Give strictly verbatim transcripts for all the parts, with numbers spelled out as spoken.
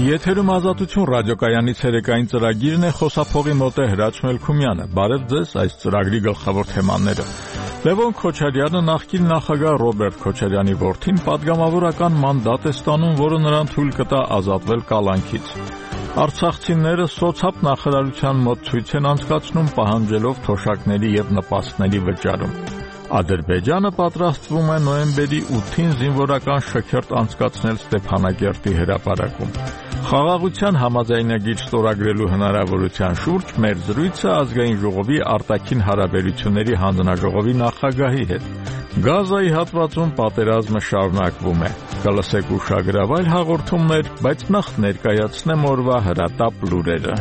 Եթերում Ազատություն ռադիոկայանի ցերեկային ծրագիրն է, խոսափողի մոտ է Հրաչ Մելքումյանը։ Բարև ձեզ, այս ծրագրի գլխավոր թեմաները։ Լևոն Քոչարյանը նախկին նախագահ Ռոբերտ Քոչարյանի որդին պատգամավորական մանդատ է ստանում, որը նրան թույլ կտա ազատվել կալանքից։ Արցախցիները սոցապ նախարարության մոտ ցույց են անցկացնում, պահանջելով թոշակների եւ նպաստների վճարում։ Ադրբեջանը պատրաստվում է նոյեմբերի ութին զինվորական շքերթ անցկացնել Ստեփանակերտի հրապարակում։ Խաղաղության համաձայնագիր ստորագրելու հնարավորության շուրջ մեր զրույցը ազգային ժողովի արտաքին հարաբերությունների հանձնաժողովի նախագահի հետ։ Գազայի հատվածում պատերազմը շարունակվում է։ Կլսեք ուշագրավայր հաղորդումներ, բայց նախ ներկայացնեմ օրվա հրատապ լուրերը։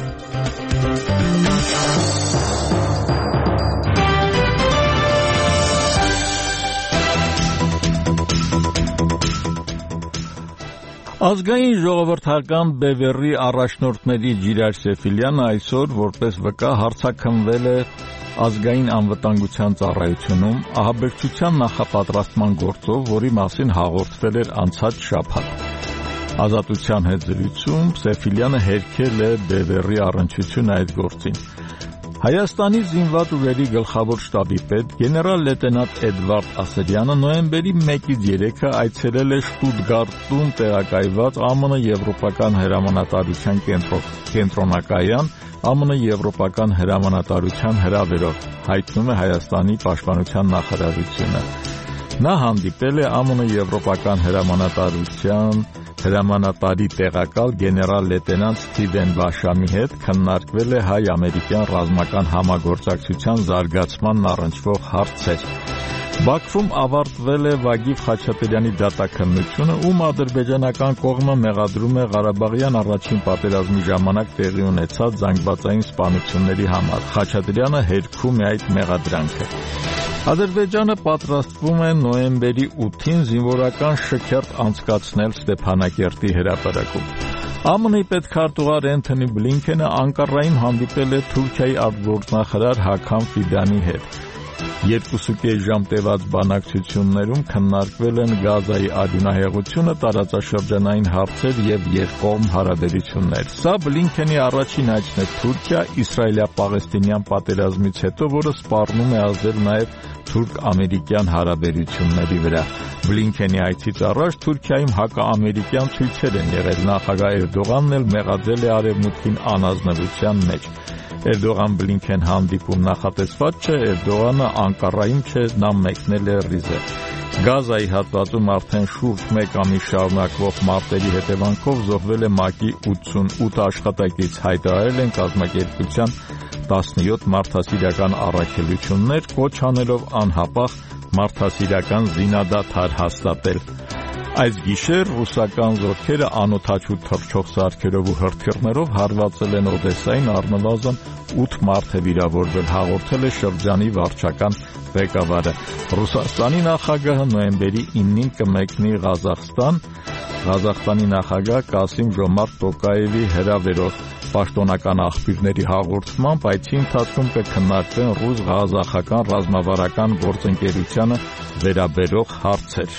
Ազգային ժողովրդական բևեռի առաջնորդների Ջիրայր Սեֆիլյանը այսօր որպես վկա հարցաքննվել է ազգային անվտանգության ծառայությունում ահաբեկչության նախապատրաստման գործով, որի մասին հաղորդվել էր անցած շաբաթ։ Ազատության հետ զրույցում Սեֆիլյանը հերքել է բևեռի առնչությունը այդ գործին։ Հայաստանի զինված ուժերի գլխավոր շտաբի պետ գեներալ լեյտենանտ Էդվարդ Ասերյանը նոյեմբերի մեկից երեքը այցելել է Շտուտգարտում տեղակայված ԱՄՆ Եվրոպական հրամանատարության կենտրոնակայան ԱՄՆ Եվրոպական հրամանատարության հրավերով, հայտնում է Հայաստանի պաշտպանության նախարարությունը։ Նա հանդիպել է ԱՄՆ Եվրոպական հրամանատարության հրամանատարի տեղակալ գեներալ լեյտենանտ Սթիվեն Բաշամի հետ, քննարկվել է հայ-ամերիկյան ռազմական համագործակցության զարգացմանն առնչվող հարցեր։ Բաքվում ավարտվել է Վագիվ Խաչատրյանի դատաքննությունը, ում ադրբեջանական կողմը մեղադրում է Ղարաբաղյան առաջին պատերազմի ժամանակ տեղի ունեցած զանգվածային սպանությունների համար։ Խաչատրյանը հերքում է այդ մեղադրանքը։ Ադրբեջանը պատրաստվում է նոյեմբերի ութին զինվորական շքերթ անցկացնել Ստեփանակերտի հրապարակում։ ԱՄՆ-ի պետքարտուղար Էնթոնի Բլինքենը Անկարայում հանդիպել է Թուրքիայի արտգործնախարար Հաքամ Ֆիդանի հետ։ Երկուսուկես ժամ տևած բանակցություններում քննարկվել են Գազայի արյունահեղությունը, տարածաշրջանային հարցեր եւ երկկողմ հարաբերություններ։ Սա Բլինքենի առաջին այցն է Թուրքիա իսրայելա-պաղեստինյան պատերազմից հետո, որը սպառնում է ազդել նաեւ թուրք-ամերիկյան հարաբերությունների վրա։ Բլինքենի այցից առաջ Թուրքիայում հակաամերիկյան ցույցեր են եղել։ Նախագահ Էրդողանն էլ մեղադրել է Արևմուտքին անազնվության մեջ։ Էրդողան-Բլինքեն հանդիպում նախատեսված չէ, Էրդողանը Անկարայում չէ, նա մեկնել է Ռիզը։ Գազայի հատվածում արդեն շուրջ մեկ ամիս շարունակվող մարտերի հետևանքով զոհվել է ՄԱԿ-ի ութսունութ աշխատակից, հայտարարել են կազմակերպության տասնյոթ մարդասիրական առաքելություններ, կոչ անելով անհապաղ մարդասիրական զինադադար հաստատել։ Այս գիշեր ռուսական զորքերը անօդաչու թռչող սարքերով ու հրթիռներով հարվածել են Օդեսային, առնվազն ութ մարդ է վիրավորվել, հաղորդել է շրջանի վարչական ղեկավարը։ Ռուսաստանի նախագահը նոյեմբերի իննին կմեկնի Ղազախստան, Ղազախստանի նախագահ Կասիմ Ժոմարտ Տոկաևի հրավերով։ Պաշտոնական աղբյուրների հաղորդմամբ այցի ընթացքում կքննարկվեն ռուս-ղազախական ռազմավարական գործընկերությանը վերաբերող հարցեր։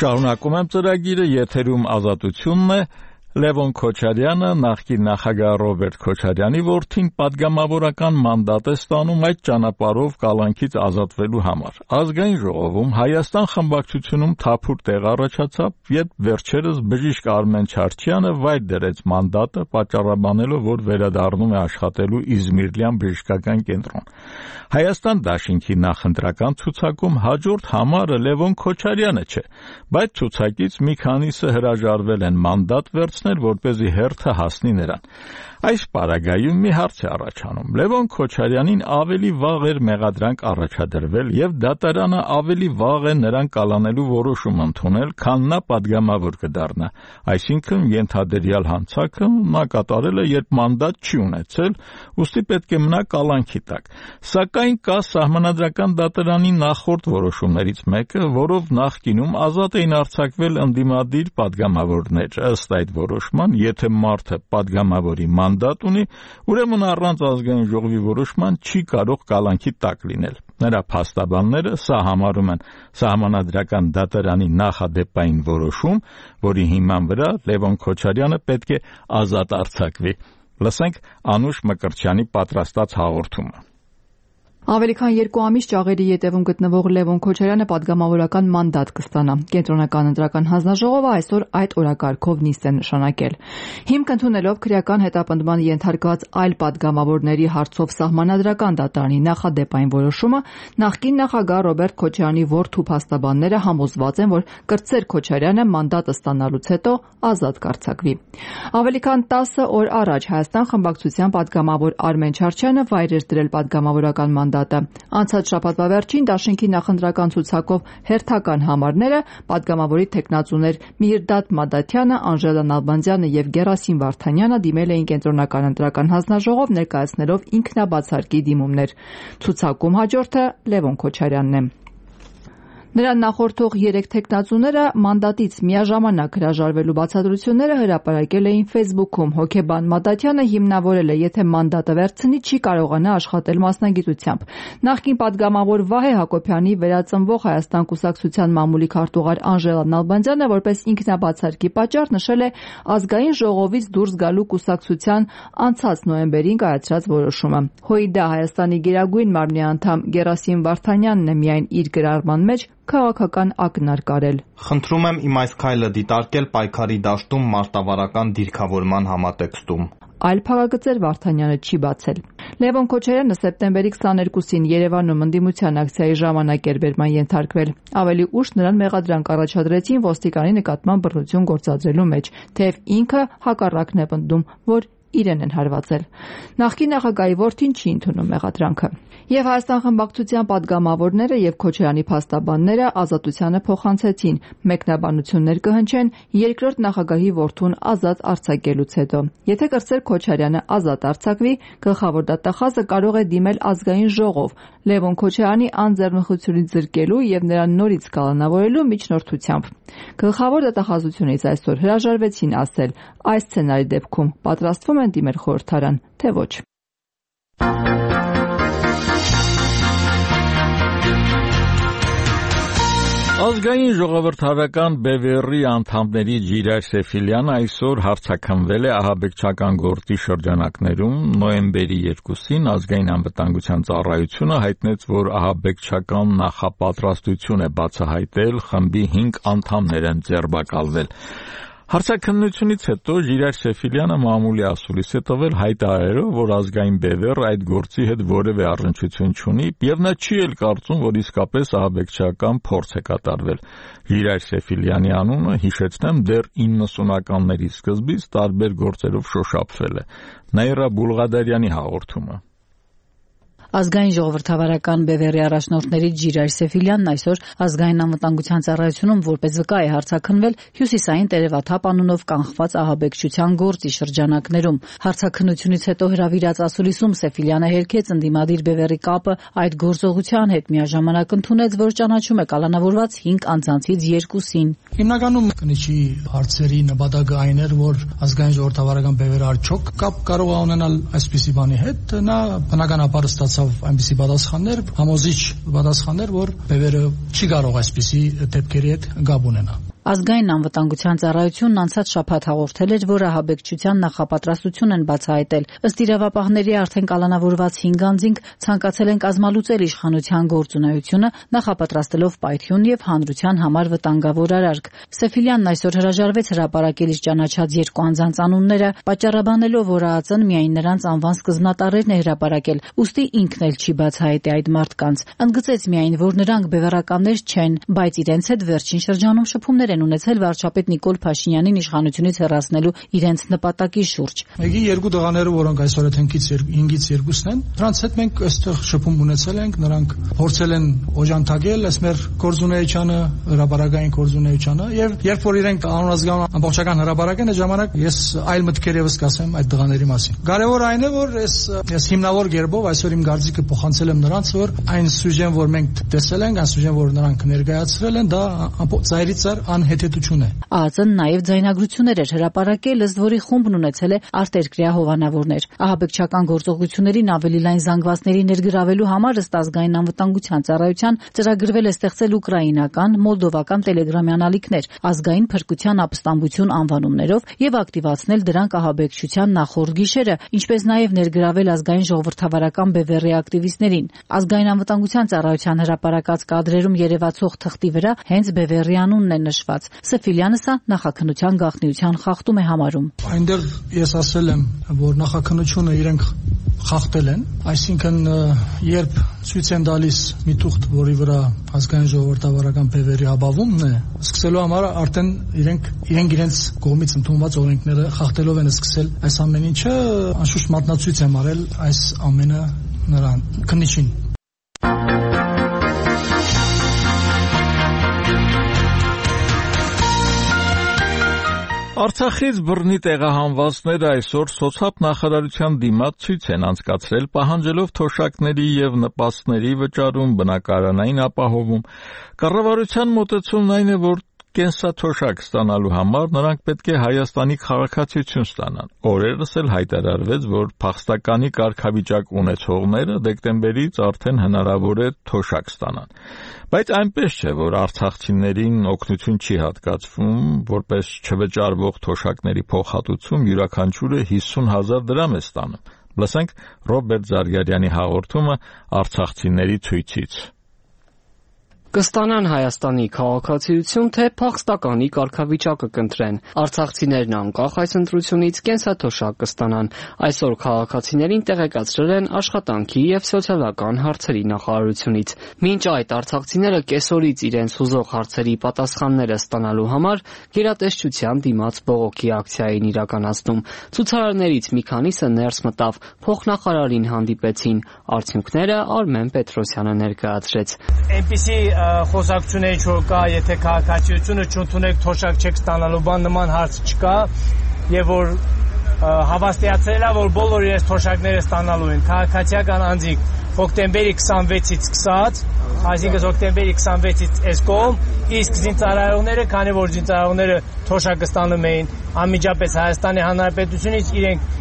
Շարունակում եմ ծրագիրը, եթերում Ազատությունն է։ Լևոն Քոչարյանը նախկին նախագահ Ռոբերտ Քոչարյանի որդին պատգամավորական մանդատ է ստանում այդ ճանապարհով կալանքից ազատվելու համար։ Ազգային ժողովում Հայաստան խմբակցությունում թափուր տեղ առաջացավ, երբ վերջերս բժիշկ Արմեն Չարչյանը վայր դրեց մանդատը, պատճառաբանելով, որ վերադառնում է աշխատելու Իզմիրլյան բժշկական կենտրոն։ Հայաստան դաշինքի նախընտրական ցուցակում հաջորդ համարը Լևոն Քոչարյանը չէ, բայց ցուցակից մի քանիսը հրաժարվել են մանդատ վերցնել, որպեսզի հերթը հասնի նրան։ Այս պարագայում մի հարց է առաջանում. Լևոն Քոչարյանին ավելի վաղ էր մեղադրանք առաջադրվել եւ դատարանը ավելի վաղ է նրան կալանելու որոշում ընդունել, քան նա պատգամավոր կդառնա։ Այսինքն ենթադրյալ հանցանքը նա կատարել է, երբ մանդատ չի ունեցել, ուստի պետք է մնա կալանքի տակ։ Սակայն կա սահմանադրական դատարանի նախորդ որոշումներից մեկը, որով նախկինում ազատ էին արձակվել ընդդիմադիր պատգամավորներ։ Ըստ այդ որոշման, եթե մարդը падգամավորի մանդատ ունի, ուրեմն առանց ազգային ժողովի որոշման չի կարող կալանքի տակ լինել։ Նրա փաստաբանները սա համարում են Սահմանադրական դատարանի նախադեպային որոշում, որի հիման վրա Լևոն Քոչարյանը պետք է ազատ արձակվի։ Լսենք Անուշ Մկրտչյանի պատրաստած հաղորդումը։ Ավելի քան երկու ամիս ճաղերի ետևում գտնվող Լևոն Քոչարյանը падգամավորական մանդատ կստանա։ Կենտրոնական ընտրական հանձնաժողովը այսօր այդ օրակարգով նիստ է նշանակել։ Հիմք ընդունելով քրեական հետապնդման ենթարկված այլ падգամավորների հարցով Սահմանադրական դատարանի նախադեպային որոշումը, նախկին նախագահ Ռոբերտ Քոչարյանի որդու փաստաբանները համոզված են, որ Կրտսեր Քոչարյանը մանդատը ստանալուց հետո ազատ կարձակվի։ Ավելի քան տասը օր առաջ Հայաստան խմբակցության падգամավոր Արմեն Չարչյանը վայր էր դրել падգամավորական մանդատը։ Անցած շաբաթվա վերջին Դաշինքի նախընտրական ցուցակով հերթական համարները падգամավորի թեկնածուներ Միհիրդատ Մադաթյանը, Անժելա Նալբանդյանը եւ Գերասիմ Վարդանյանը դիմել էին Կենտրոնական ընտրական հանձնաժողով ներկայացնելով ինքնաբացարկի դիմումներ։ Ցուցակում հաջորդը Լևոն Քոչարյանն է։ Նրան նախորդող երեք թեկնածուները մանդատից միաժամանակ հրաժարվելու բացատրությունները հրապարակել էին Facebook-ում։ Հոգեբան Մադաթյանը հիմնավորել է, եթե մանդատը վերցնի, չի կարողանա աշխատել մասնագիտությամբ։ Նախկին падգամավոր Վահե Հակոբյանի վերածնվող Հայաստան կուսակցության մամուլի քարտուղար Անժելա Նալբանդյանը որպես ինքնաբացարկի պատճառ նշել է ազգային ժողովից դուրս գալու կուսակցության անցած նոյեմբերին կայացրած որոշումը։ ՀՅԴ Հայաստանի Գերագույն մարմնի անդամ Գերասիմ Վարդանյանն է միայն իր գրառման մեջ քաղաքական ակնարկ արել։ Խնդրում եմ իմ այս քայլը դիտարկել պայքարի դաշտում մարտավարական դիրքավորման համատեքստում։ Այլ փակագծեր Վարդանյանը չի բացել։ Լևոն Քոչարյանը սեպտեմբերի քսաներկուսին Երևանում ընդդիմության ակցիայի ժամանակ էր բերման ենթարկվել։ Ավելի ուշ նրան մեղադրանք առաջադրեցին ոստիկանի նկատմամբ բռնություն գործադրելու մեջ, թեև ինքը հակառակն է պնդում, որ իրեն են հարվածել։ Նախկին նախագահի որդին չի ընդունում մեղադրանքը։ Եվ Հայաստան խմբակցության падգամավորները եւ Քոչարյանի փաստաբանները ազատությանը փոխանցեցին, մեկնաբանություններ կհնչեն երկրորդ նախագահի որդուն ազատ արձակելուց հետո։ Եթե Կրտսեր Քոչարյանը ազատ արձակվի, գլխավոր դատախազը կարող է դիմել ազգային ժողով Լևոն Քոչարյանի անձեռնխությունից զրկելու եւ նրան նորից կալանավորելու միջնորդությամբ։ Գլխավոր դատախազությունից այսօր հրաժարվեցին ասել, այս սցենարի դեպքում պատրաստվում են դիմել խորհրդարան, թե ոչ։ Ազգային ժողովրդավարական բևեռի անդամների Ջիրայր Սեֆիլյանը այսօր հարցաքննվել է ահաբեկչական գործի շրջանակներում։ Նոյեմբերի երկուսին ազգային անվտանգության ծառայությունը հայտնեց, որ ահաբեկչական նախապատրաստություն է բացահայտել, խմբի հինգ անդամներ են ձերբակալվել։ Հարցաքննությունից հետո Ջիրայր Սեֆիլյանը մամուլի ասուլիս է տվել հայտարարելով, որ ազգային բևեռը այդ գործի հետ որևէ առնչություն չունի, եւ նա չի էլ կարծում, որ իսկապես ահաբեկչական փորձ է կատարվել։ Ջիրայր Սեֆիլյանի անունը, հիշեցնեմ, դեռ իննսունականների սկզբից տարբեր գործերով շոշափվել է։ Նաիրա Բուլղադարյանի հաղորդումը։ Ազգային ժողովրդավարական բևեռի առաջնորդների Ջիրայր Սեֆիլյանն այսօր ազգային անվտանգության ծառայությունում որպես վկա է հարցաքննվել հյուսիսային տերևաթափ անունով կանխված ահաբեկչության գործի շրջանակներում։ Հարցաքննությունից հետո հրավիրած ասուլիսում Սեֆիլյանը հերքեց ընդդիմադիր բևեռի կապը այդ գործողության հետ, միաժամանակ ընդունեց, որ ճանաչում է կալանավորված հինգ անձանցից երկուսին։ Հիմնականում կնիչի հարցերի նպատակը այն էր, որ ազգային ժողովրդավարական բևեռը արդյոք կապ կարող է ունենալ այսպիսի բանի հետ, նա բնականաբար ստացավ այնպիսի պատասխաններ, համոզիչ պատասխաններ, որ բևեռը չի կարող այսպիսի դեպքերի հետ կապ ունենալ։ Ազգային անվտանգության ծառայությունն անցած շաբաթ հաղորդել էր, որ ահաբեկչության նախապատրաստություն են բացահայտել։ Ըստ իրավապահների արդեն կալանավորված հինգ անձինք ցանկացել են կազմալուծել իշխանության գործունեությունը, նախապատրաստելով պայթյուն եւ հանրության համար վտանգավոր արարք։ Սեֆիլյանն այսօր հրաժարվեց հրապարակել իր ճանաչած երկու անձանց անունները, պատճառաբանելով, որ ԱԱԾ-ն միայն նրանց անվան սկզբնատարերն է հրապարակել, ուստի ինքն էլ չի բացահայտի այդ մարդկանց։ Ընդգծեց միայն, որ նրանք բևեռականներ չեն, բայց իրենց հետ վերջին շրջանում շփումներ են ունեցել վարչապետ Նիկոլ Փաշինյանին իշխանությունից հեռացնելու իրենց նպատակի շուրջ։ Մեկի երկու տղաները, որոնք այսօր հինգից հինգից երկուսն են, նրանց հետ մենք այստեղ շփում ունեցել ենք, նրանք փորձել են օժանդակել այս մեր գործունեությանը, հրապարակային գործունեությանը, եւ երբ որ իրենք անոնազգան ամբողջական հրապարակեն, այդ ժամանակ ես այլ մտքեր եւս կասեմ այդ տղաների մասին։ Կարևոր այն է, որ ես ես հիմնավոր գերբով այսօր իմ գարձիկը փոխանցել եմ նրանց, որ այն սյուժեն, որ մենք տեսել ենք, այն սյուժեն, որ նրանք ներկայացրել են, դա ծայրից ծայր անհետեթություն է։ ԱԱԾ-ն նաև ձայնագրություններ էր հրապարակել, ըստ որի խումբն ունեցել է արտերկրյա հովանավորներ։ Ահաբեկչական գործողություններին ավելի լայն զանգվածների ներգրավելու համար ըստ ազգային անվտանգության ծառայության ծրագրվել է ստեղծել ուկրաինական, մոլդովական տելեգրամյան ալիքներ ազգային փրկության ապստամբություն անվանումներով եւ ակտիվացնել դրանք ահաբեկչության նախորդ գիշերը, ինչպես նաև ներգրավել ազգային ժողովրդավարական բևեռի ակտիվիստներին։ Ազգային անվտանգության ծառայության հրապարակած կադրերում երևացող թղթի վրա հենց բևեռի անունն է նշված։ Սեֆիլյանը սա նախաքննության գաղտնիության խախտում է համարում։ Այնտեղ ես ասել եմ, որ նախաքննությունը իրենք խախտել են, այսինքն երբ ցույց են տալիս մի թուղթ, որի վրա ազգային ժողովրդավարական բևեռի ապավումն է, սկսելու համար արդեն իրենք իրենք իրենց կողմից ընդունված օրենքները խախտելով են սկսել այս ամեն ինչը, անշուշտ մատնացույց եմ արել այս ամենը նրան քննիչին։ Արցախից բռնի տեղահանվածները այսօր սոցիալ նախարարության դիմաց ցույց են անցկացրել, պահանջելով թոշակների եւ նպաստների վճարում, բնակարանային ապահովում։ Կառավարության մոտեցումն այն է, որ կենսաթոշակ ստանալու համար նրանք պետք է Հայաստանի քաղաքացիություն ստանան։ Օրերս էլ հայտարարվեց, որ փախստականի կարգավիճակ ունեցողները դեկտեմբերից արդեն հնարավոր է թոշակ ստանան։ Բայց այնպես չէ, որ արցախցիներին օգնություն չի հատկացվում, որպես չվճարվող թոշակների փոխհատուցում յուրաքանչյուրը հիսուն հազար դրամ է ստանում։ Լսենք Ռոբերտ Զարգարյանի հաղորդումը արցախցիների ցույցից։ Կստանան Հայաստանի քաղաքացիություն, թե փախստականի կարգավիճակը կընտրեն։ Արցախցիներն անկախ այս ընտրությունից կենսաթոշակ կստանան։ Այսօր քաղաքացիներին տեղեկացրել են աշխատանքի եւ սոցիալական հարցերի նախարարությունից։ Մինչ այդ արցախցիները կեսօրից իրենց հուզող հարցերի պատասխանները ստանալու համար գերատեսչության դիմաց բողոքի ակցիա էին իրականացնում։ Ցուցարարներից մի քանիսը ներս մտավ, փոխնախարարին հանդիպեցին։ Արդյունքները Արմեն Պետրոսյանը ներկայացրեց։ Այնպիսի խոսակցությունների ինչ որ կա, եթե քաղաքացիությունը չընդունեք, թոշակ չեք ստանալու, բան նման հարց չկա, եւ որ հավաստիացրել է, որ բոլոր իրենց թոշակները ստանալու են։ Քաղաքացիական անձիկ հոկտեմբերի քսանվեցից սկսած, այսինքն հոկտեմբերի քսանվեցից այս կողմ, իսկ զինծառայողները, քանի որ զինծառայողները թոշակը ստանում էին անմիջապես Հայաստանի Հանրապետությունից, իրենք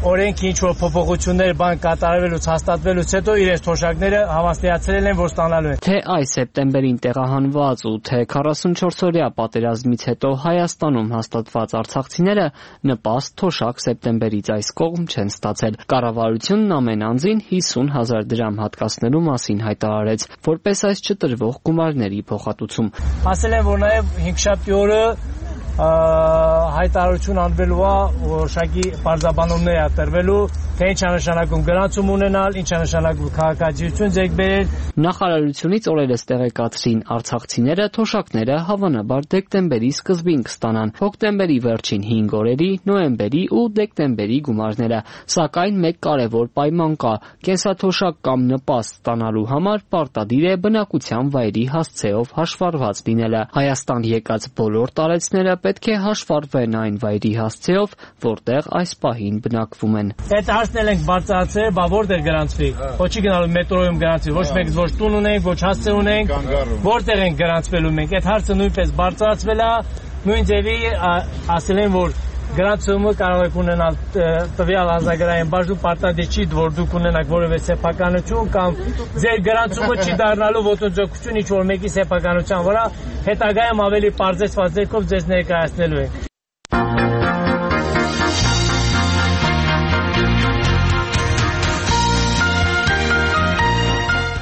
օրենքի ինչ որ փոփոխություններ բան կատարվելուց հաստատվելուց հետո իրենց թոշակները հավաստիացրել են, որ ստանալու են։ Թե այս սեպտեմբերին տեղահանված ու թե քառասունչորսօրյա պատերազմից հետո Հայաստանում հաստատված արցախցիները նպաստ թոշակ սեպտեմբերից այս կողմ չեն ստացել։ Կառավարությունն ամեն անձին հիսուն հազար դրամ հատկացնելու մասին հայտարարեց, որպես այս չտրվող գումարների փոխհատուցում։ Ասել են, որ նաև հինգշաբթի օրը հայտարարություն անվելու է, որոշակի բարձաբանումներ է տրվելու, թե ինչ է նշանակում գրանցում ունենալ, ինչ է նշանակում քաղաքացիություն ձեռք բերել։ Նախարարությունից օրերս տեղեկացրին, արցախցիները թոշակները հավանաբար դեկտեմբերի սկզբին կստանան, հոկտեմբերի վերջին հինգ օրերի, նոյեմբերի ու դեկտեմբերի գումարները, սակայն մեկ կարևոր պայման կա՝ կենսաթոշակ կամ նպաստ ստանալու համար պարտադիր է բնակության վայրի հասցեով հաշվառված լինելը։ Հայաստան եկած բոլոր տարեցները պետք է հաշվառվեն այն վայրի հասցեով, որտեղ այս պահին բնակվում են։ Այդ հարցն էլ ենք բարձրացրել, բա որտեղ գրանցվի։ Ոչ չի գնալու մետրոյում գրանցվի, ոչ մեկ ոչ տուն ունենք, ոչ հասցե ունենք, որտեղ ենք գրանցվելու մենք։ Այդ հարցը նույնպես բարձրացվել է, նույն ձևի ասել են, որ գրանցումը կարող եք ունենալ տվյալ ազգային բաժնում, պարտադիր չի, որ դուք ունենաք որևէ սեփականություն կամ ձեր գրանցումը չի դառնալու ոտնձգություն ինչ որ մեկի սեփականության վրա, հետագայում ավելի պարզեցված ձեռքով ձեզ ներկայացնելու ենք։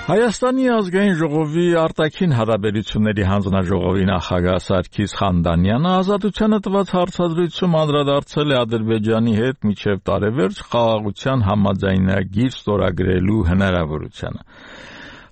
Հայաստանի ազգային ժողովի արտաքին հարաբերությունների հանձնաժողովի նախագահ Սարգիս Խանդանյանը ազատությանը տված հարցազրույցում անդրադարձել է Ադրբեջանի հետ մինչև տարեվերջ խաղաղության համաձայնագիր ստորագրելու հնարավորությանը։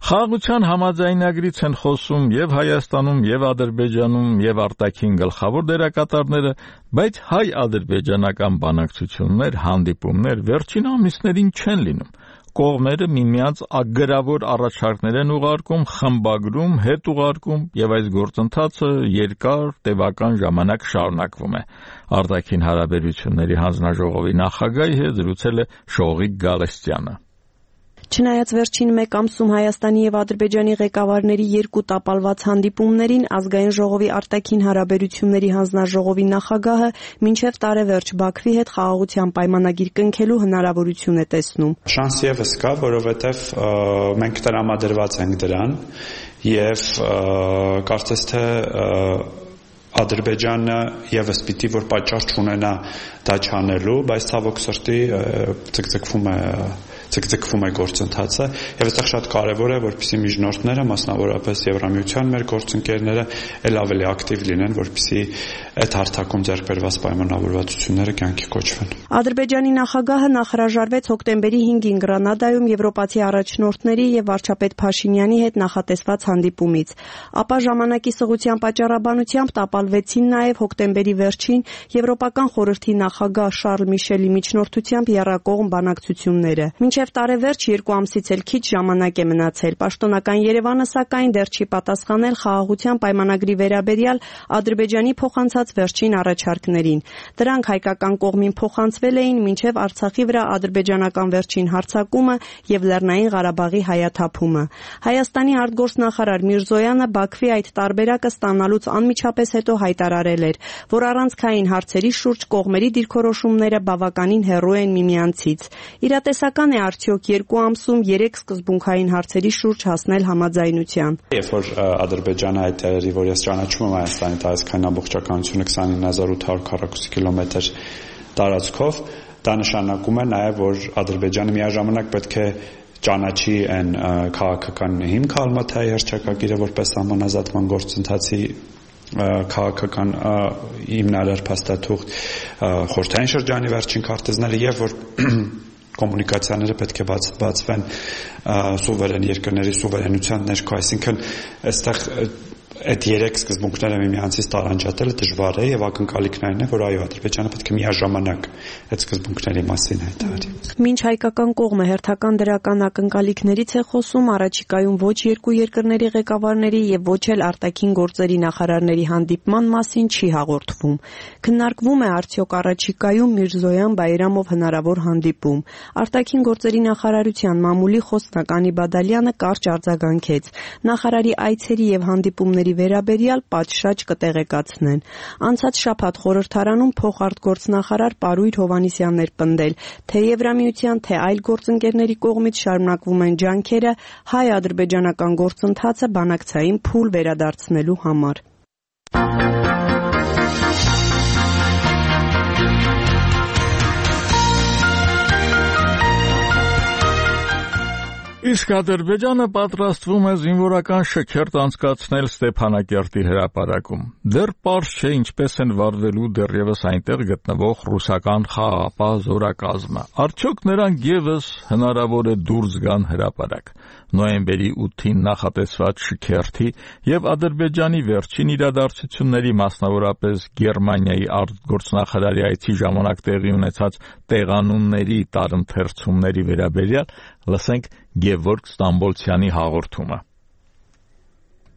Խաղաղության համաձայնագրից են խոսում եւ Հայաստանում, եւ Ադրբեջանում, եւ արտաքին գլխավոր դերակատարները, բայց հայ-ադրբեջանական բանակցություններ, հանդիպումներ վերջին ամիսներին չեն լինում։ Կողմերը միմյանց ագրավոր առաջարկներ են ուղարկում, խմբագրում, հետ ուղարկում եւ այս գործընթացը երկար տևական ժամանակ շարունակվում է։ Արտաքին հարաբերությունների հանձնաժողովի նախագահի հետ զրուցել է Շողիկ Գալստյանը։ Չնայած վերջին մեկ ամսում Հայաստանի եւ Ադրբեջանի ղեկավարների երկու տապալված հանդիպումներին ազգային ժողովի արտաքին հարաբերությունների հանձնաժողովի նախագահը մինչև տարեվերջ Բաքվի հետ խաղաղության պայմանագիր կնքելու հնարավորություն է տեսնում։ Շանս եւս կա, որովհետեւ մենք տրամադրված ենք դրան եւ կարծես թե Ադրբեջանը եւս պիտի որ պատճառ չունենա դա չանելու, բայց ցավոք սրտի ցկցկվում է ցկցկվում է գործընթացը եւ այստեղ շատ կարեւոր է որպեսզի միջնորդները, մասնավորապես Եվրամիության մեր գործընկերները ել ավելի ակտիվ լինեն, որպեսզի այդ հարթակում ձեռք բերված պայմանավորվածությունները կյանքի կոչվեն։ Ադրբեջանի նախագահը նախհրաժարվեց հոկտեմբերի հինգին Գրանադայում եվրոպացի առաջնորդների եւ վարչապետ Փաշինյանի հետ նախատեսված հանդիպումից, ապա ժամանակի սղության պատճառաբանությամբ տապալվեցին նաեւ հոկտեմբերի վերջին Եվրոպական խորհրդի նախագահ Շարլ Միշելի միջնորդությամբ եռակողմ բանակցությունները։ Մինչև տարեվերջ երկու ամսից էլ քիչ ժամանակ է մնացել։ Պաշտոնական Երևանը սակայն դեռ չի պատասխանել խաղաղության պայմանագրի վերաբերյալ Ադրբեջանի փոխանցած վերջին առաջարկներին։ Դրանք հայկական կողմին փոխանցվել էին մինչև Արցախի վրա ադրբեջանական վերջին հարձակումը եւ Լեռնային Ղարաբաղի հայաթափումը։ Հայաստանի արտգործնախարար Միրզոյանը Բաքվի այդ տարբերակը ստանալուց անմիջապես հետո հայտարարել էր, որ առանցքային հարցերի շուրջ կողմերի դիրքորոշումները բավականին հեռու են միմյանցից։ Իրատեսական է արդյոք երկու ամսում երեք սկզբունքային հարցերի շուրջ հասնել համաձայնության։ Երբ որ Ադրբեջանը հայտարարի, որ ես ճանաչում եմ Հայաստանի տարածքային ամբողջականությունը քսանինը հազար ութ հարյուր քառակուսի կիլոմետր տարածքով, դա նշանակում է նաև, որ Ադրբեջանը միաժամանակ պետք է ճանաչի այն քաղաքական հիմքը Ալմաթայի հռչակագիրը որպես համանազատման գործընթացի քաղաքական հիմնարար փաստաթուղթ, խորհրդային շրջանի վերջին քարտեզները եւ որ կոմունիկացիաները պետք է բաց, բացվեն սուվերեն երկրների սուվերենության ներքո, այսինքն այստեղ այդ երեք սկզբունքները միմյանցից տարանջատելը դժվար է եւ ակնկալիքն այն է, որ այո, Ադրբեջանը պետք է միաժամանակ այդ սկզբունքների մասին հայտարարի։ Մինչ հայկական կողմը հերթական դրական ակնկալիքներից է խոսում, առաջիկայում ոչ երկու երկրների ղեկավարների եւ ոչ էլ արտաքին գործերի նախարարների հանդիպման մասին չի հաղորդվում։ Քննարկվում է արդյոք առաջիկայում Միրզոյան-Բայրամով հնարավոր հանդիպում։ Արտաքին գործերի նախարարության մամուլի խոսնակ Անի Բադալյանը կարճ արձագանքեց։ Նախարարի այցերի եւ հանդիպումների վերաբերյալ պատշաճ կտեղեկացնեն։ Անցած շաբաթ խորհրդարանում փոխարտգործնախարար Պարույր Հովհաննիսյանն էր պնդել, թե Եվրամիության, թե այլ գործընկերների կողմից շարունակվում են ջանքերը հայ-ադրբեջանական գործընթացը բանակցային փուլ վերադարձնելու համար։ Իսկ Ադրբեջանը պատրաստվում է զինվորական շքերթ անցկացնել Ստեփանակերտի հրապարակում։ Դեռ պարզ չէ ինչպես են վարվելու դեռևս այնտեղ գտնվող ռուսական խաղաղապահ զորակազմը։ Արդյոք նրանք եւս հնարավոր է դուրս գան հրապարակ։ Նոյեմբերի ութին նախատեսված շքերթի եւ Ադրբեջանի վերջին իրադարձությունների, մասնավորապես Գերմանիայի արտգործնախարարի այցի ժամանակ տեղի ունեցած տեղանունների տարընթերցումների վերաբերյալ լսենք Գևորգ Ստամբոլցյանի հաղորդումը։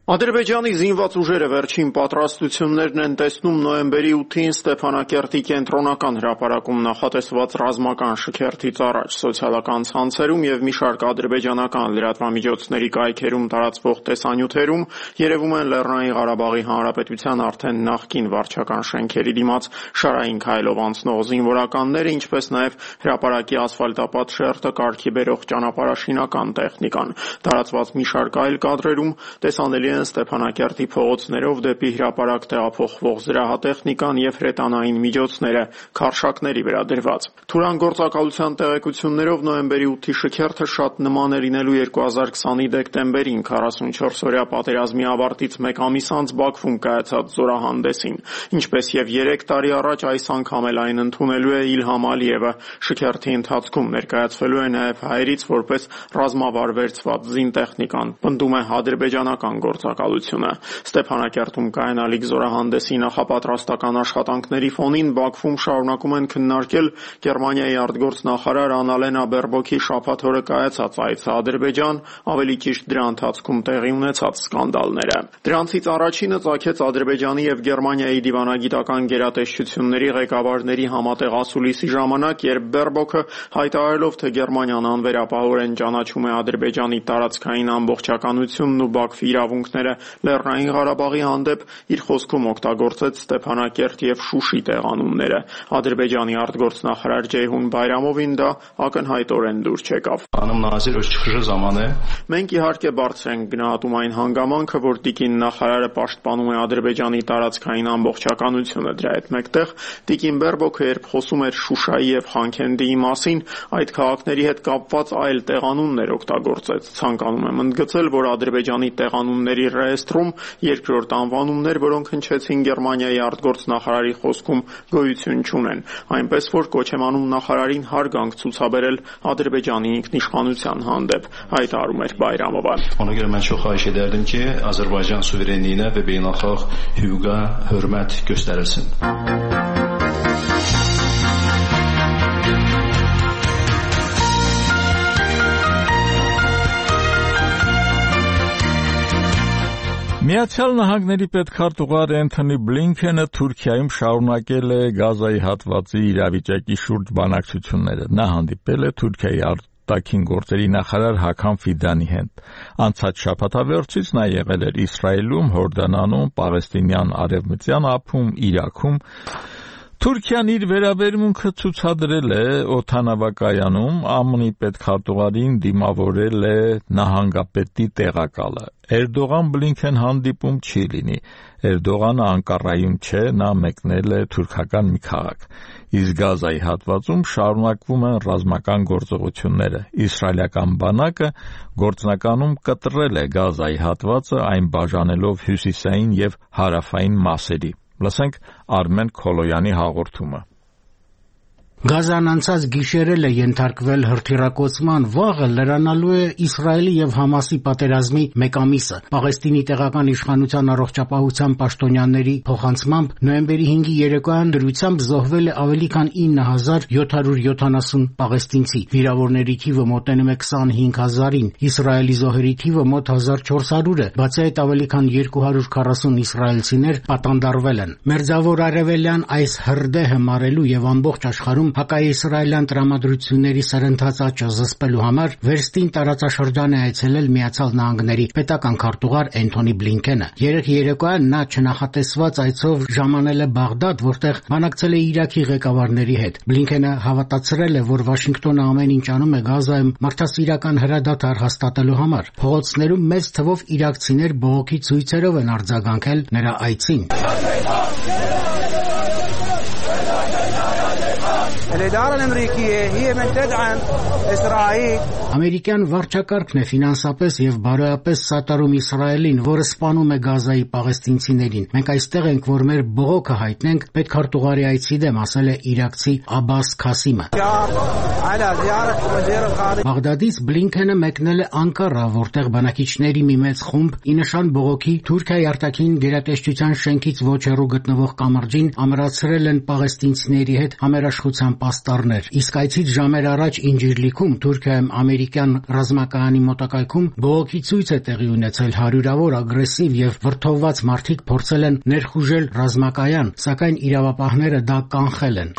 Ադրբեջանի զինված ուժերը վերջին պատրաստություններն են տեսնում նոյեմբերի ութին Ստեփանակերտի կենտրոնական հրապարակում նախատեսված ռազմական շքերթից առաջ սոցիալական ցանցերում եւ մի շարք ադրբեջանական լրատվամիջոցների կայքերում տարածվող տեսանյութերում երևում են Լեռնային Ղարաբաղի Հանրապետության արդեն նախկին վարչական շենքերի դիմաց շարային քայլով անցնող զինվորականները, ինչպես նաեւ հրապարակի ասֆալտապատ շերտը կարգի բերող ճանապարհաշինական տեխնիկան։ Տարածված մի շարք այլ կադրերում տեսանելի Ստեփանակերտի փողոցներով դեպի հրապարակ տեղափոխվող զրահատեխնիկան եւ հրետանային միջոցները քարշակների վրա դրված։ Թուրան գործակալության տեղեկություններով նոյեմբերի ութի շքերթը շատ նման է լինելու երկու հազար քսանի դեկտեմբերին քառասունչորս օրյա պատերազմի ավարտից մեկ ամիս անց Բաքվում կայացած զորահանդեսին, ինչպես եւ երեք տարի առաջ այս անգամ էլ այն ընդունելու է Իլհամ Ալիևը։ Շքերթի ընթացքում ներկայացվելու է նաեւ հայերից որպես ռազմավար վերցված զինտեխնիկան, պնդում է ադրբեջանական գործ գործակալությունը։ Ստեփանակերտում կայանալիք զորահանդեսի նախապատրաստական աշխատանքների ֆոնին Բաքվում շարունակում են քննարկել Գերմանիայի արտգործնախարար Անալենա Բերբոքի շաբաթ օրը կայացած այցը Ադրբեջան, ավելի ճիշտ դրա ընթացքում տեղի ունեցած սկանդալները։ Դրանցից առաջինը ծագեց Ադրբեջանի եւ Գերմանիայի դիվանագիտական գերատեսչությունների ղեկավարների համատեղ ասուլիսի ժամանակ, երբ Բերբոքը հայտարարելով, թե Գերմանիան անվերապահորեն ճանաչում է Ադրբեջանի տարածքային ամբողջականությունն ու Բաքվի իրավունքները Լեռնային Ղարաբաղի հանդեպ, իր խոսքում օգտագործեց Ստեփանակերտ եւ Շուշի տեղանունները։ Ադրբեջանի արտգործնախարար Ջեյհուն Բայրամովին դա ակնհայտորեն դուր չեկավ։ Մենք իհարկե բարձր ենք գնահատում այն հանգամանքը, որ տիկին նախարարը պաշտպանում է Ադրբեջանի տարածքային ամբողջականությունը։ Դրա հետ մեկտեղ տիկին Բերբոքը, երբ խոսում էր Շուշայի եւ Խանքենդիի մասին, այդ քաղաքների հետ կապված այլ տեղանուններ օգտագործեց։ Ցանկանում եմ ընդգծել, որ Ադրբեջանի տեղանունների ռեեստրում երկրորդ անվանումներ, որոնք հնչեցին Գերմանիայի արտգործնախարարի խոսքում, գոյություն չունեն, այնպես որ կոչ եմ անում նախարարին հարգանք ցուցաբերել Ադրբեջանի ինքնիշխանության հանդեպ, հայտարարում էր Բայրամովը։ Ona görə mən çox xahiş edərdim ki, Azərbaycan suverenliyinə və beynəlxalq hüquqa hörmət göstərilsin. Միացյալ Նահանգների պետքարտուղար Էնթոնի Բլինքենը Թուրքիայում շարունակել է Գազայի հատվածի իրավիճակի շուրջ բանակցությունները։ Նա հանդիպել է Թուրքիայի արտաքին գործերի նախարար Հական Ֆիդանի հետ։ Անցած շաբաթավերջից նա եղել էր Իսրայելում, Հորդանանում, Պաղեստինյան Արևմտյան ափում, Իրաքում։ Թուրքիան իր վերաբերմունքը ցուցադրել է օդանավակայանում, ԱՄՆ-ի պետքարտուղարին դիմավորել է նահանգապետի տեղակալը։ Էրդողան-Բլինքեն հանդիպում չի լինի։ Էրդողանը Անկարայում չէ, նա մեկնել է թուրքական մի քաղաք։ Իսկ Գազայի հատվածում շարունակվում են ռազմական գործողությունները։ Իսրայելական բանակը գործնականում կտրել է Գազայի հատվածը, այն բաժանելով հյուսիսային եւ հարավային մասերի։ Լսենք Արմեն Քոլոյանի հաղորդումը։ Գազան անցած գիշերել է ենթարկվել հրթիռակոծման, վաղը լրանալու է Իսրայելի եւ Համասի պատերազմի մեկ ամիսը։ Պաղեստինի տեղական իշխանության առողջապահության պաշտոնյաների փոխանցմամբ նոյեմբերի հինգի երեկոյան դրությամբ զոհվել է ավելի քան ինը հազար յոթ հարյուր յոթանասուն պաղեստինցի։ Վիրավորների թիվը մոտենում է քսանհինգ հազարին, Իսրայելի զոհերի թիվը մոտ հազար չորս հարյուր է, բացի այդ ավելի քան երկու հարյուր քառասուն իսրայելցիներ պատանդարվել են։ Մերձավոր արևելյան այս հրդեհը մարելու եւ ամբողջ աշխարհում հակաիսրայելյան տրամադրությունների սրընթաց աճը զսպելու համար վերստին տարածաշրջան է այցելել Միացյալ Նահանգների պետական քարտուղար Էնթոնի Բլինքենը։ Երեկ երեկոյան նա չնախատեսված այցով ժամանել է Բաղդադ, որտեղ բանակցել է Իրաքի ղեկավարների հետ։ Բլինքենը հավատացրել է, որ Վաշինգտոնը ամեն ինչ անում է Գազայում մարդասիրական հրադադար հաստատելու համար։ Փողոցներում մեծ թվով իրաքցիներ բողոքի ցույցերով են արձագանքել նրա այցին։ Ամերիկյան վարչակարգն է ֆինանսապես եւ բարոյապես սատարում Իսրայելին, որը սպանում է Գազայի պաղեստինցիներին։ Մենք այստեղ ենք, որ մեր բողոքը հայտնենք պետքարտուղարի այցի դեմ, ասել է իրաքցի Աբաս Քասիմը։ Բաղդադից Բլինքենը մեկնել է Անկարա, որտեղ բնակիչների մի մեծ խումբ ի նշան բողոքի Թուրքիայի արտաքին գերատեսչության շենքից ոչ հեռու գտնվող կամրջին ամրացրել են պաղեստինցիների հետ համերաշխության պաստառներ։ Իսկ այցից ժամեր առաջ Ինջիրլիքում, Թուրքիայում ամերիկյան ռազմակայանի մոտակայքում բողոքի ցույց է տեղի ունեցել։ Հարյուրավոր ագրեսիվ եւ վրդովված մարդիկ փորձել են ներխուժել ռազմակայան, սակայն իրավապահները դա կանխել են։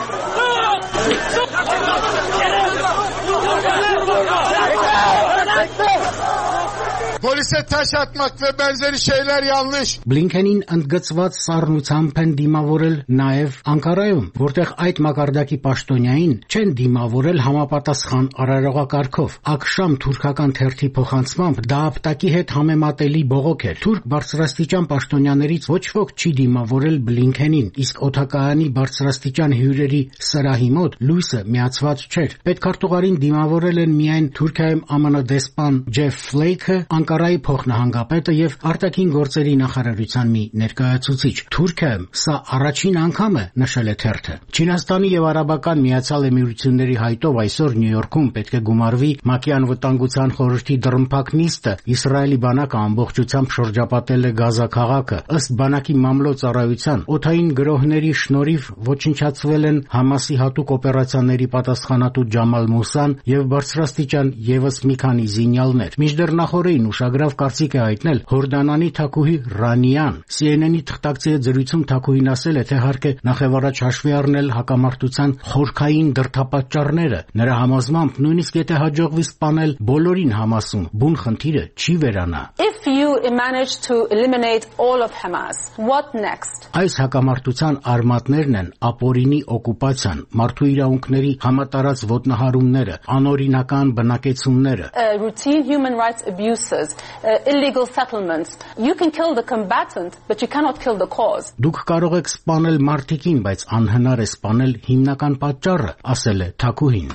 Polise taş atmak ve benzeri şeyler yanlış. Բլինքենին ընդգծված սառնությամբ են դիմավորել նաև Անկարայում, որտեղ այդ մակարդակի պաշտոնյային չեն դիմավորել համապատասխան արարողակարգով։ Աքշամ թուրքական թերթի փոխանցմամբ դա ապտակի հետ համեմատելի բողոք էր։ Թուրք բարձրաստիճան պաշտոնյաներից ոչ ոք չի դիմավորել Բլինքենին, իսկ օդակայանի բարձրաստիճան հյուրերի սրահի մոտ լույսը միացված չէր։ Պետքարտուղարին դիմավորել են միայն Թուրքիայում ԱՄՆ դեսպան Ջեֆ Ֆլեյքը, Անկարայի փոխնահանգապետը եւ արտաքին գործերի նախարարության մի ներկայացուցիչ։ Թուրքիայում սա առաջին անգամ է, նշել է թերթը։ Չինաստանի եւ Արաբական Միացյալ Էմիրությունների հայտով այսօր Նյու Յորքում պետք է գումարվի ՄԱԿ-ի անվտանգության խորհրդի դռնփակ նիստը։ Իսրայելի բանակը ամբողջությամբ շրջապատել է Գազա քաղաքը։ Ըստ բանակի մամլոյ-ծառայության, օդային գրոհների շնորհիվ ոչնչացվել են Համասի հատուկ օպերացիաների պատասխանատու Ջամալ Մուսան եւ բարձրաստիճան եւս մի քանի զինյալներ։ Մինչդեռ նախորդին ուշագրավ կարծիք է հայտնել Հորդանանի թագուհի Ռանիան։ C N N-ի թղթակցի հետ զրույցում թագուհին ասել է, թե հարկ է նախևառաջ հաշվի առնել հակամարտության խորքային դրդապատճառները։ Նրա համոզմամբ նույնիսկ եթե հաջողվի սպանել բոլորին Համասում, բուն խնդիրը չի վերանա։ If you manage to eliminate all of Hamas, what next? Այս հակամարտության արմատներն են ապօրինի օկուպացիան, մարդու իրավունքների համատարած ոտնահարումները, անօրինական բնակեցումները, uh, routine human rights abuses, uh, illegal settlements. You can kill the combatant, but you cannot kill the cause. Դուք կարող եք սպանել մարդիկին, բայց անհնար է սպանել հիմնական պատճառը, ասել է թագուհին։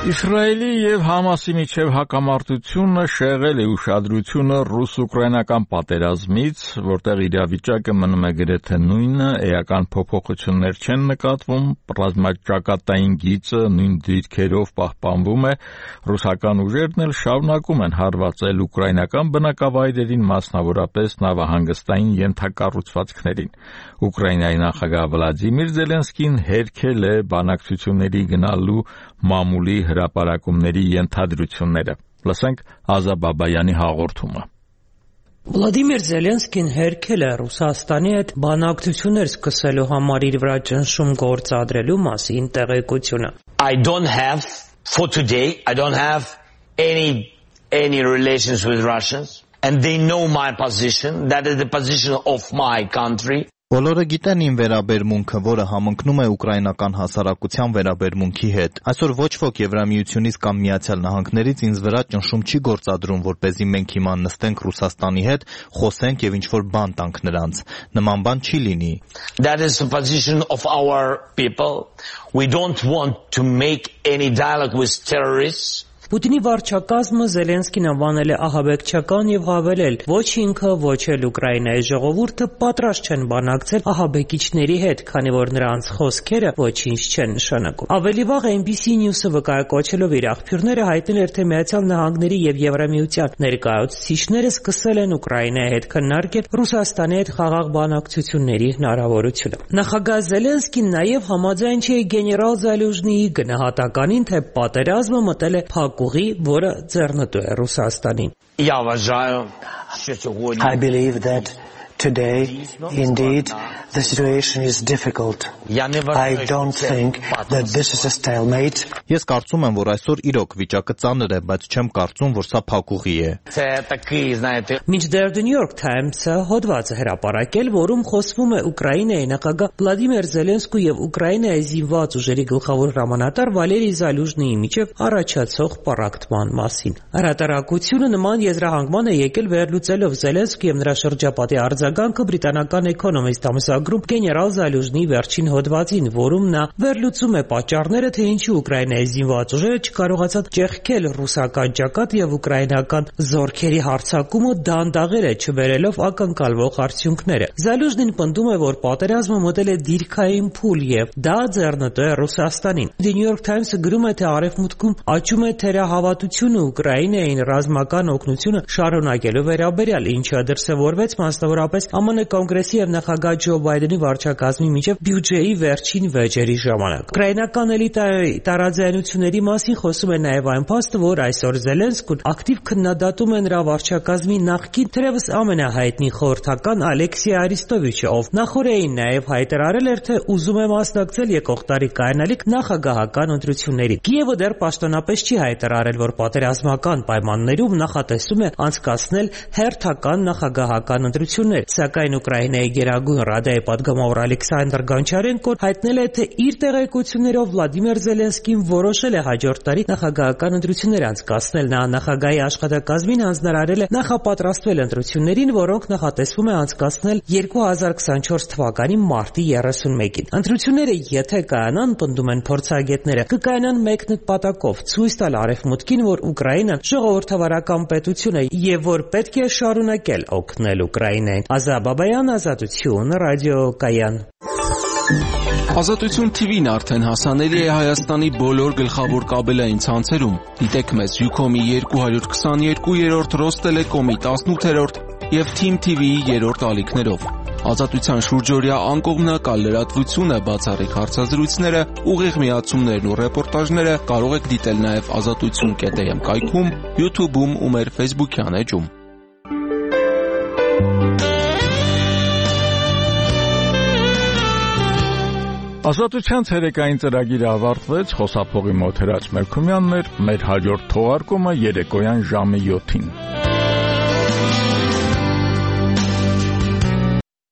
Իսրայելի եւ Համասի միջև հակամարտությունը շեղել է ուշադրությունը ռուս-ուկրաինական պատերազմից, որտեղ իրավիճակը մնում է գրեթե նույնը, էական փոփոխություններ չեն նկատվում, ռազմաճակատային գիծը նույն դիրքերով պահպանվում է, ռուսական ուժերն էլ շարունակում են հարվածել ուկրաինական բնակավայրերին, մասնավորապես նավահանգստային ենթակառուցվածքներին։ Ուկրաինայի նախագահ Վլադիմիր Զելենսկին հերքել է բանակցությունների գնալու մամուլի հրապարակումների ենթադրությունները։ Լսենք Ազա Բաբայանի հաղորդումը։ Վլադիմիր Զելենսկին հերքել է Ռուսաստանի հետ բանակցություններ սկսելու համար իր վրա ճնշում գործադրելու մասին տեղեկությունը։ I don't have for today I don't have any any relations with Russians and they know my position, that is the position of my country. Բոլորը գիտեն իմ վերաբերմունքը, որը համընկնում է ուկրաինական հասարակության վերաբերմունքի հետ։ Այսօր ոչ ոք Եվրամիությունից կամ Միացյալ Նահանգներից ինձ վրա ճնշում չի գործադրում, որպեսզի մենք հիմա նստենք Ռուսաստանի հետ, խոսենք եւ ինչ-որ բան տանք նրանց։ Նման բան չի լինի։ That is the position of our people. We don't want to make any dialogue with terrorists. Պուտինի վարչակազմը Զելենսկին անվանել է ահաբեկչական եւ հավելել. ոչ ինքը, ոչ էլ Ուկրաինայի ժողովուրդը պատրաստ չեն բանակցել ահաբեկիչների հետ, քանի որ նրանց խոսքերը ոչինչ չեն նշանակում։ Ավելի վաղ N B C News-ը վկայակոչելով իր աղբյուրները հայտնել էր, թե Միացյալ Նահանգների եւ Եվրամիության ներկայացուցիչները սկսել են Ուկրաինայի հետ քննարկել Ռուսաստանի հետ խաղաղ բանակցությունների հնարավորությունը։ Նախագահ Զելենսկին նաեւ համաձայն չէ գեներալ Զալյուժնիի գնահատականին, թե պատերազմը մտել է ուղի, որը ձեռնտու է Ռուսաստանին։ I believe that today, indeed, the situation is difficult. I don't think that this is a stalemate. Ես կարծում եմ, որ այսօր իրոք վիճակը ծանր է, բայց չեմ կարծում, որ սա փակուղի է։ Մինչդեռ The New York Times-ը հոդված է հրապարակել, որում խոսվում է Ուկրաինայի նախագահ Վլադիմիր Զելենսկու եւ Ուկրաինայի զինված ուժերի գլխավոր հրամանատար Վալերի Զալյուժնիի միջև առաջացող պառակտման մասին։ Հրատարակությունը նման եզրահանգման է եկել վերլուծելով Զելենսկու եւ նրա շրջապատի արձագանքը բրիտանական Economist ամսագրում գեներալ Զալյուժնիի վերջին հոդվածին, որում նա վերլուծում է պատճառները, թե ինչու Ուկրաինայի զինված ուժերը չկարողացան ճեղքել ռուսական ջակատ եւ ուկրաինական զորքերի հարձակումը դանդաղել է, չբերելով ակնկալվող արդյունքները։ Զալյուժնին պնդում է, որ պատերազմը մտել է դիրքային փուլ եւ դա ձեռնտու է Ռուսաստանին։ The New York Times-ը գրում է, թե Արևմուտքում աճում է թերահավատությունը Ուկրաինային ռազմական օգնությունը շարունակելու վերաբերյալ, ինչը դրսևորվեց մասնավորապես Α M N կոնգրեսի եւ նախագահ Ջո Բայդենի վարչակազմի միջև բյուջեի վերջին վեճերի ժամանակ։ Ուկրաինական էլիտայի տարաձայնությունների մասին խոսում է նաեւ այն փաստը, որ այսօր Զելենսկուն ակտիվ քննադատում է նրա վարչակազմի նախկին թերևս ամենահայտնի խորհրդական Ալեքսի Արիստովիչը, ով նախորդին նաեւ հայտարարել էր, թե ուզում է մասնակցել եկող տարի կայանալիք նախագահական ընտրությունների։ Կիևը դեռ պաշտոնապես չի հայտարարել, որ պատերազմական պայմաններում նախատեսում է անցկացնել հերթական նախագահական ընտրություններ, Սակայն Ուկրաինայի Գերագույն Ռադայի պատգամավոր Ալեքսանդր Գոնչարենկոն հայտնել է, թե իր տեղեկություններով Վլադիմիր Զելենսկին որոշել է հաջորդ տարի նախագահական ընտրություններ անցկացնել։ Նա նախագահի աշխատակազմին հանձնարարել է նախապատրաստվել ընտրություններին, որոնք նախատեսվում է անցկացնել երկու հազար քսանչորս թվականի մարտի երեսունմեկին։ Ընտրությունները, եթե կայանան, պնդում են փորձագետները, կկայանան մեկ նպատակով՝ ցույց տալ Արևմուտքին, որ Ուկրաինան ժողովրդավարական պետություն է եւ որ պետք է շարունակել օգնել Ուկրաինային։ Ազա Բաբայան, Ազատություն, ռադիոկայան։ Ազատություն թիվին արդեն հասանելի է Հայաստանի բոլոր գլխավոր կաբելային ցանցերում։ Դիտեք մեզ Յուքոմի երկու հարյուր քսաներկու, Ռոստելեկոմի տասնութերորդ եւ Թիմ թի վիի երրորդ ալիքներով։ Ազատության շուրջօրյա անկողմնակալ լրատվությունը, բացառիկ հարցազրույցները, ուղիղ միացումներն ու ռեպորտաժները կարող եք դիտել նաեւ ազատություն կետ էմ կայքում, YouTube-ում ու մեր Facebook-յան էջում։ Ազատության ցերեկային ծրագիրը ավարտվեց, խոսափողի մոտ Հրաչ Մելքումյանն էր, մեր հաջորդ թողարկումը երեկոյան ժամը յոթին։